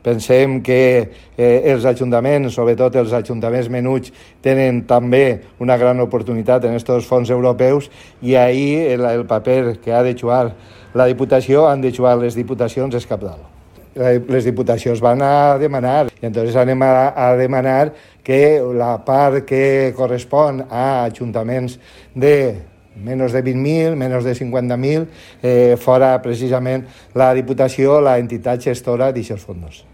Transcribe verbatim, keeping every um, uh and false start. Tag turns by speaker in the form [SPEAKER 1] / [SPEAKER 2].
[SPEAKER 1] Pensem que eh, els ajuntaments, sobretot els ajuntaments menuts, tenen també una gran oportunitat en aquests fons europeus i ahir el, el paper que ha de jugar la Diputació, han de jugar les Diputacions, és cabdal. Les Diputacions van a demanar i entonces anem a, a demanar que la part que correspon a ajuntaments de menys de vint mil, menys de cinquanta mil, eh, fora precisament la Diputació, la entitat gestora d'aquests fons.